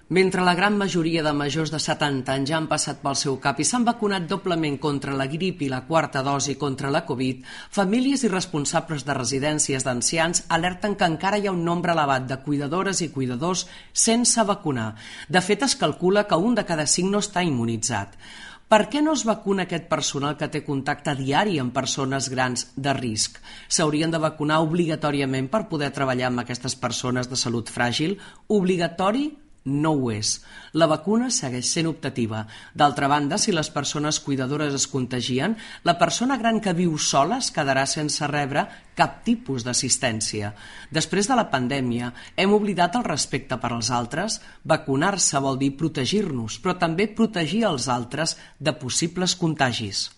Mentre la gran majoria de majors de 70 anys ja han passat pel seu cap i s'han vacunat doblement contra la grip i la quarta dosi contra la Covid, famílies i responsables de residències d'ancians alerten que encara hi ha un nombre elevat de cuidadores i cuidadors sense vacunar. De fet, es calcula que 1 de cada 5 no està immunitzat. Per què no es vacuna aquest personal que té contacte diari amb persones grans de risc? S'haurien de vacunar obligatòriament per poder treballar amb aquestes persones de salut fràgil? Obligatori? No ho és. La vacuna segueix sent optativa. D'altra banda, si les persones cuidadores es contagien, la persona gran que viu sola es quedarà sense rebre cap tipus d'assistència. Després de la pandèmia, hem oblidat el respecte per als altres? Vacunar-se vol dir protegir-nos, però també protegir els altres de possibles contagis.